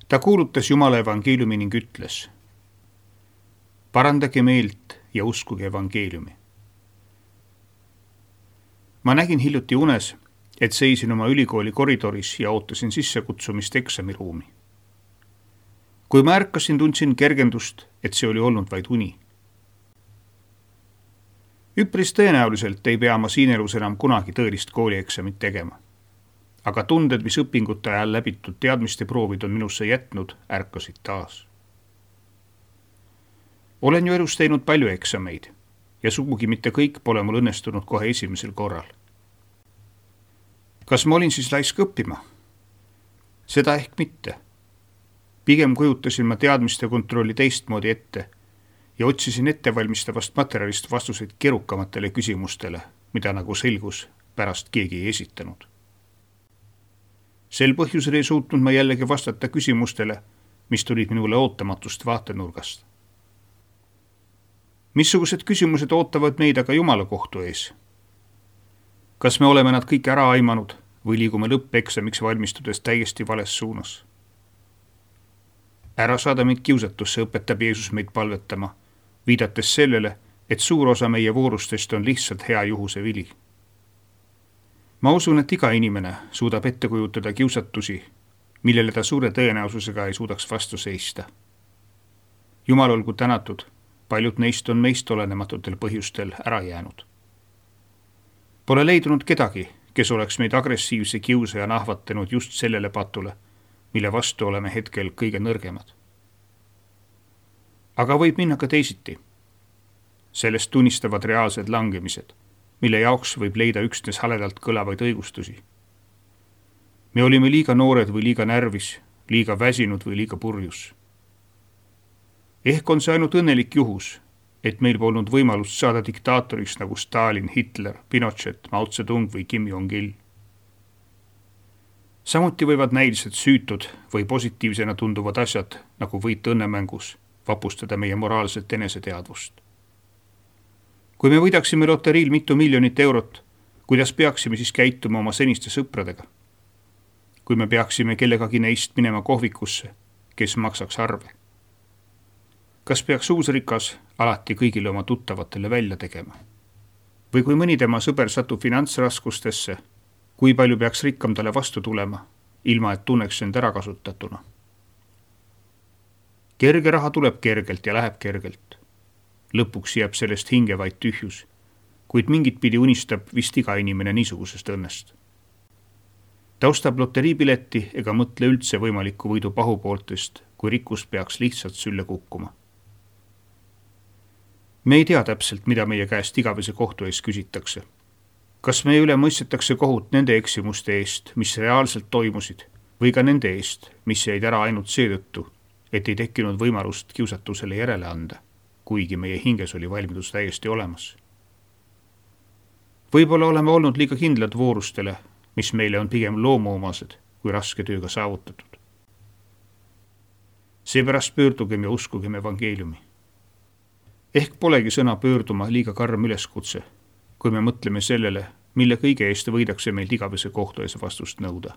Ta kuulutas Jumala evangeeliumi ning ütles: parandage meelt ja uskuge evangeeliumi. Ma nägin hiljuti unes, et seisin oma ülikooli koridoris ja ootasin sissekutsumist eksamiruumi. Kui ma ärkasin, tundsin kergendust, et see oli olnud vaid uni. Üpris tõenäoliselt ei pea ma siin elus enam kunagi tõelist koolieksamit tegema. Aga tunded, mis õpingute ajal läbitud teadmiste proovid on minusse jätnud, ärkasid taas. Olen ju elus teinud palju eksameid ja sugugi mitte kõik pole mul õnnestunud kohe esimesel korral. Kas ma olin siis laisk õppima? Seda ehk mitte. Pigem kujutasin ma teadmiste kontrolli teistmoodi ette ja otsisin ettevalmistavast materjalist vastuseid keerukamatele küsimustele, mida nagu selgus pärast keegi ei esitanud. Sel põhjusel ei suutnud ma jällegi vastata küsimustele, mis tulid minule ootamatust vaatenurgast. Missugused küsimused ootavad meid aga Jumala kohtu ees? Kas me oleme nad kõik ära aimanud või liigume lõppeksamiks valmistudes täiesti vales suunas? Ära saada meid kiusatusse, õpetab Jeesus meid palvetama, viidates sellele, et suur osa meie voorustest on lihtsalt hea juhuse vili. Ma usun, et iga inimene suudab ette kujutada kiusatusi, millele ta suure tõenäosusega ei suudaks vastu seista. Jumal olgu tänatud, paljud neist on meist olenematutel põhjustel ära jäänud. Pole leidunud kedagi, kes oleks meid agressiivse kiusajana ahvatanud just sellele patule, mille vastu oleme hetkel kõige nõrgemad. Aga võib minna ka teisiti. Sellest tunnistavad reaalsed langemised, mille jaoks võib leida üksnes haledalt kõlavaid õigustusi. Me olime liiga noored või liiga närvis, liiga väsinud või liiga purjus. Ehk on see ainult õnnelik juhus, et meil polnud võimalust saada diktaatoriks nagu Stalin, Hitler, Pinochet, Mao Zedong või Kim Jong-il. Samuti võivad näiliselt süütud või positiivsena tunduvad asjad, nagu võit õnnemängus, vapustada meie moraalset eneseteadvust. Kui me võidaksime loteriil mitu miljonit eurot, kuidas peaksime siis käituma oma seniste sõpradega? Kui me peaksime kellegagi neist minema kohvikusse, kes maksaks arve? Kas peaks uus rikas alati kõigile oma tuttavatele välja tegema? Või kui mõni tema sõber satub finantsraskustesse, kui palju peaks rikkam talle vastu tulema, ilma et tunneks end ära kasutatuna? Kerge raha tuleb kergelt ja läheb kergelt. Lõpuks jääb sellest hinge vaid tühjus, kuid mingit pidi unistab vist iga inimene niisugusest õnnest. Ta ostab loteriipileti ega mõtle üldse võimaliku võidu pahupooltest, kui rikkus peaks lihtsalt sülle kukkuma. Me ei tea täpselt, mida meie käest igavese kohtu ees küsitakse. Kas meie üle mõistetakse kohut nende eksimuste eest, mis reaalselt toimusid, või ka nende eest, mis jäid ära ainult seetõttu, et ei tekkinud võimalust kiusatusele järele anda, kuigi meie hinges oli valmidus täiesti olemas. Võib-olla oleme olnud liiga kindlad voorustele, mis meile on pigem loomoomased kui raske tööga saavutatud. Seepärast pöördugem ja uskugem evangeeliumi. Ehk polegi sõna pöörduma liiga karm üleskutse, kui me mõtleme sellele, mille kõige eest võidakse meilt igavese kohtu ees vastust nõuda.